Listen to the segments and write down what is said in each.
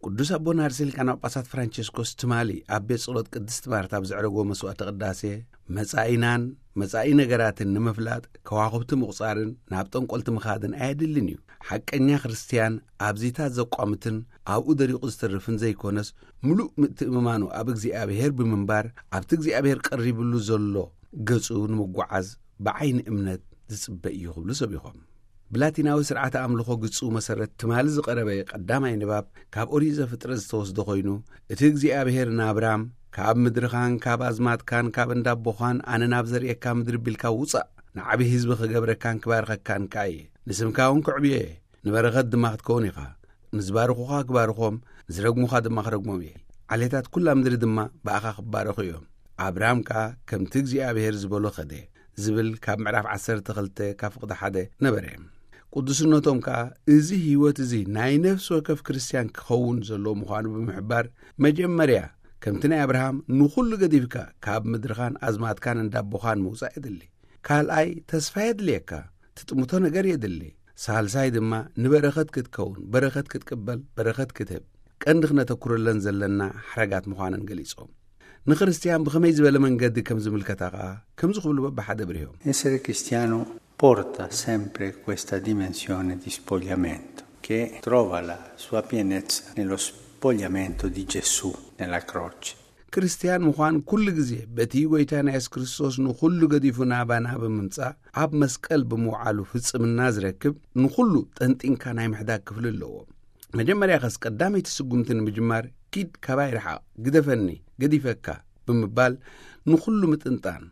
ቅዱስ ኣቦና ርእሰ ሊቃነ ጳጳሳት ፍራንቸስኮስ ትማሊ ኣብ ቤት ጸሎት ቅድስት ማርታ ኣብ ዘዕረጎ መስዋዕተ ቅዳሴ፣ መጻኢናን መጻኢ ነገራትን ንምፍላጥ ከዋኽብቲ ምቑጻርን ናብ ጠንቆልቲ ምኻድን ኣየድልን እዩ። ሓቀኛ ክርስትያን ኣብዚታት ዘቋምትን ኣብኡ ደሪቑ ዝተርፍን ዘይኮነስ፣ ምሉእ ምትእምማኑ ኣብ እግዚኣብሔር ብምንባር፣ ኣብቲ እግዚኣብሔር ቀሪብሉ ዘሎ ገጹ ንምጓዓዝ ብዓይኒ እምነት ዝጽበ እዩ ክብሉ ሰቢኾም። ብላቲናዊ ስርዓተ ኣምልኾ ግጹ መሰረት ትማሊ ዝቐረበ ቀዳማይ ንባብ ካብ ኦሪት ዘፍጥረት ዝተወስደ ኮይኑ፣ እቲ እግዚኣብሔር ንኣብራም፣ "ካብ ምድርኻን ካብ ኣዝማድካን ካብ እንዳቦኻን ኣነ ናብ ዘርእየካ ምድሪ ቢልካ ውጻእ፣ ንዓቢ ህዝቢ ክገብረካን ክባርኸካን ከኣ እየ፣ ንስምካ እውን ክዕብዮ እየ፣ ንበረኸት ድማ ክትከውን ኢኻ፣ ንዝባርኹኻ ክባርኾም፣ ንዝረግሙኻ ድማ ክረግሞም እየ፣ ዓሌታት ኩላ ምድሪ ድማ ብኣኻ ክባረኹ እዮም። ኣብርሃም ከኣ ከምቲ እግዚኣብሔር ዝበሎ ኸደ" ዝብል ካብ ምዕራፍ ዓሰርተ ክልተ ካብ ፍቕዲ ሓደ ነበረ። ቅዱስነቶም ከኣ፣ እዚ ህይወት እዚ ናይ ነፍሲ ወከፍ ክርስትያን ክኸውን ዘለዎ ምዃኑ ብምሕባር፣ መጀመርያ ከምቲ ናይ ኣብርሃም ንኹሉ ገዲፍካ ካብ ምድርኻን ኣዝማትካን እንዳቦኻን ምውጻእ የድሊ። ካልኣይ፣ ተስፋ የድልየካ፣ ትጥምቶ ነገር የድሊ። ሳልሳይ ድማ ንበረኸት ክትከውን፣ በረኸት ክትቅበል፣ በረኸት ክትህብ፣ ቀንዲ ክነተኩረለን ዘለና ሓረጋት ምዃነን ገሊጾም፣ ንክርስትያን ብኸመይ ዝበለ መንገዲ ከም ዝምልከታ ከኣ ከምዚ ክብሉ በብሓደ ብርሆም። Essere cristiano porta sempre questa dimensione di spogliamento, che trova la sua pienezza nello spogliamento di Gesù nella croce. ክርስትያን ምዃን ኩሉ ግዜ በቲ ጎይታና የሱስ ክርስቶስ ንኹሉ ገዲፉ ናባና ብምምጻእ ኣብ መስቀል ብምውዓሉ ፍጽምና ዝረክብ፣ ንኹሉ ጠንጢንካ ናይ ምሕዳግ ክፍሊ ኣለዎ። መጀመርያ ኸስ ቀዳመይቲ ስጉምቲ ንምጅማር፣ "ኪድ ካባይ ርሓቕ፣ ግደፈኒ፣ ገዲፈካ" ብምባል ንኹሉ ምጥንጣን፣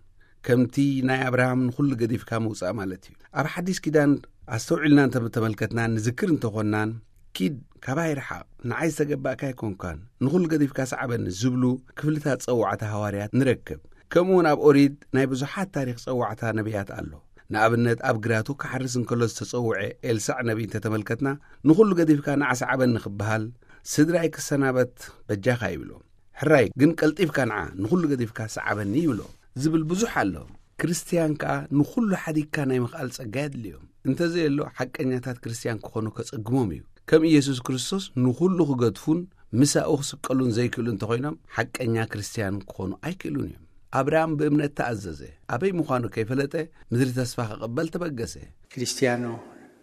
ከምቲ ናይ ኣብርሃም ንኹሉ ገዲፍካ ምውጻእ ማለት እዩ። ኣብ ሓዲስ ኪዳን ኣስተውዒልና እንተ ተመልከትናን ንዝክር እንተኾንናን፣ "ኪድ ካባይ ርሓቕ፣ ንዓይ ዝተገባእካ ኣይኮንካን፣ ንኹሉ ገዲፍካ ሰዓበኒ" ዝብሉ ክፍልታት ጸዋዕታ ሃዋርያት ንረክብ። ከምኡ እውን ኣብ ኦሪት ናይ ብዙሓት ታሪኽ ጸዋዕታ ነቢያት ኣሎ። ንኣብነት፣ ኣብ ግራቱ ክሓርስ እንከሎ ዝተጸውዐ ኤልሳዕ ነቢይ እንተተመልከትና፣ "ንኹሉ ገዲፍካ ንዓ ሰዓበኒ" ክበሃል፣ "ስድራይ ክሰናበት በጃኻ" ይብሎ። "ሕራይ ግን ቀልጢፍካ ንዓ ንኹሉ ገዲፍካ ሰዓበኒ" ይብሎ። ዝብል ብዙሕ ኣሎ። ክርስትያን ከኣ ንኹሉ ሓዲግካ ናይ ምኽኣል ጸጋ የድልዮም። እንተዘየሎ፣ ሓቀኛታት ክርስትያን ክኾኑ ከጸግሞም እዩ። ከም ኢየሱስ ክርስቶስ ንኹሉ ክገድፉን ምሳኡ ክስቀሉን ዘይክእሉ እንተኾይኖም፣ ሓቀኛ ክርስትያን ክኾኑ ኣይክእሉን እዮም። ኣብርሃም ብእምነት ተኣዘዘ። ኣበይ ምዃኑ ከይፈለጠ፣ ምድሪ ተስፋ ክቕበል ተበገሰ። Cristiano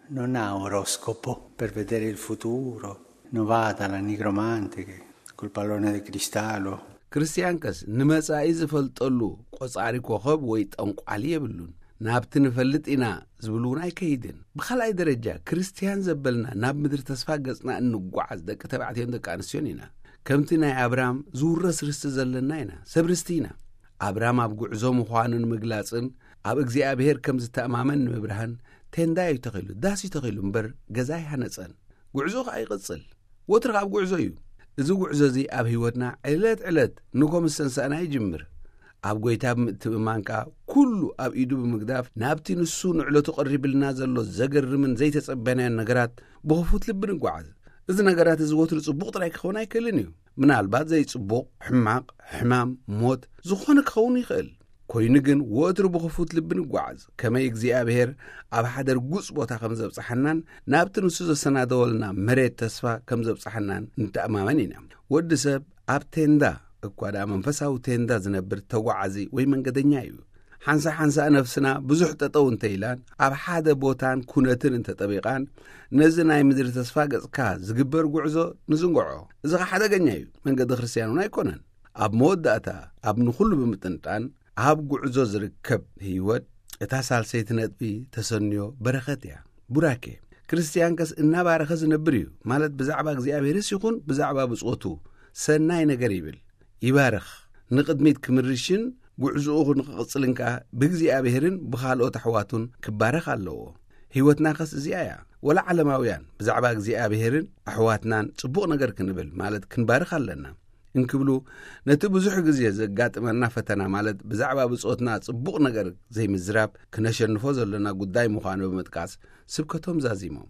non ha oroscopo per vedere il futuro, non va dalla nigromante che col pallone di cristallo. ክርስትያንከስ ንመጻኢ ዝፈልጠሉ ቆጻሪ ኮኸብ ወይ ጠንቋሊ የብሉን። ናብቲ ንፈልጥ ኢና ዝብል እውን ኣይከይድን። ብኻልኣይ ደረጃ፣ ክርስትያን ዘበልና ናብ ምድሪ ተስፋ ገጽና እንጓዓዝ ደቂ ተባዕትዮን ደቂ ኣንስትዮን ኢና። ከምቲ ናይ ኣብራም ዝውረስ ርስቲ ዘለና ኢና። ሰብ ርስቲ ኢና። ኣብራም ኣብ ጉዕዞ ምዃኑ ንምግላጽን ኣብ እግዚኣብሔር ከም ዝተኣማመን ንምብርሃን፣ ቴንዳ እዩ ተኺሉ፣ ዳስ እዩ ተኺሉ እምበር፣ ገዛ ኣይሃነጸን። ጉዕዞ ኸኣ ይቕጽል። ወትሩ ኣብ ጉዕዞ እዩ። እዚ ጉዕዞ እዚ ኣብ ህይወትና ዕለት ዕለት ንጎ ምስ ሰንሳእና ይጅምር። ኣብ ጎይታ ብምትእምማን ከኣ፣ ኩሉ ኣብ ኢዱ ብምግዳፍ፣ ናብቲ ንሱ ንዕለቱ ቀሪብልና ዘሎ ዘገርምን ዘይተጸበናዮን ነገራት ብኽፉት ልቢ ንጓዓዝ። እዚ ነገራት እዚ ወትሩ ጽቡቕ ጥራይ ክኸውን ኣይክእልን እዩ። ምናልባት ዘይጽቡቕ፣ ሕማቕ፣ ሕማም፣ ሞት፣ ዝኾነ ክኸውን ይኽእል። ኮይኑ ግን፣ ወትሩ ብኽፉት ልቢ ንጓዓዝ። ከመይ እግዚኣብሔር ኣብ ሓደ ርጉጽ ቦታ ከም ዘብጽሓናን ናብቲ ንሱ ዘሰናደወልና መሬት ተስፋ ከም ዘብጽሓናን ንተኣማመን ኢና። ወዲ ሰብ ኣብ ቴንዳ እኳ ደኣ መንፈሳዊ ቴንዳ ዝነብር ተጓዓዚ ወይ መንገደኛ እዩ። ሓንሳ ሓንሳ ነፍስና ብዙሕ ጠጠው እንተ ኢላን ኣብ ሓደ ቦታን ኩነትን እንተጠቢቓን፣ ነዚ ናይ ምድሪ ተስፋ ገጽካ ዝግበር ጉዕዞ ንዝንግዖ። እዚ ኸ ሓደገኛ እዩ። መንገዲ ክርስትያን እውን ኣይኮነን። ኣብ መወዳእታ፣ ኣብ ንኹሉ ብምጥንጣን ኣብ ጉዕዞ ዝርከብ ህይወት፣ እታ ሳልሰይቲ ነጥቢ ተሰንዮ በረኸት እያ። ቡራኬ። ክርስትያን ከስ እናባረኸ ዝነብር እዩ። ማለት ብዛዕባ እግዚኣብሔርስ ይኹን ብዛዕባ ብጾቱ ሰናይ ነገር ይብል፣ ይባርኽ። ንቕድሚት ክምርሽን ጉዕዞኡ ንክቕጽልን ከኣ ብእግዚኣብሔርን ብኻልኦት ኣሕዋቱን ክባረኽ ኣለዎ። ህይወትና ከስ እዚኣ እያ። ወላ ዓለማውያን ብዛዕባ እግዚኣብሔርን ኣሕዋትናን ጽቡቕ ነገር ክንብል፣ ማለት ክንባርኽ ኣለና እንክብሉ፣ ነቲ ብዙሕ ግዜ ዘጋጥመና ፈተና፣ ማለት ብዛዕባ ብጾትና ጽቡቕ ነገር ዘይምዝራብ፣ ክነሸንፎ ዘለና ጉዳይ ምዃኑ ብምጥቃስ ስብከቶም ዛዚሞም።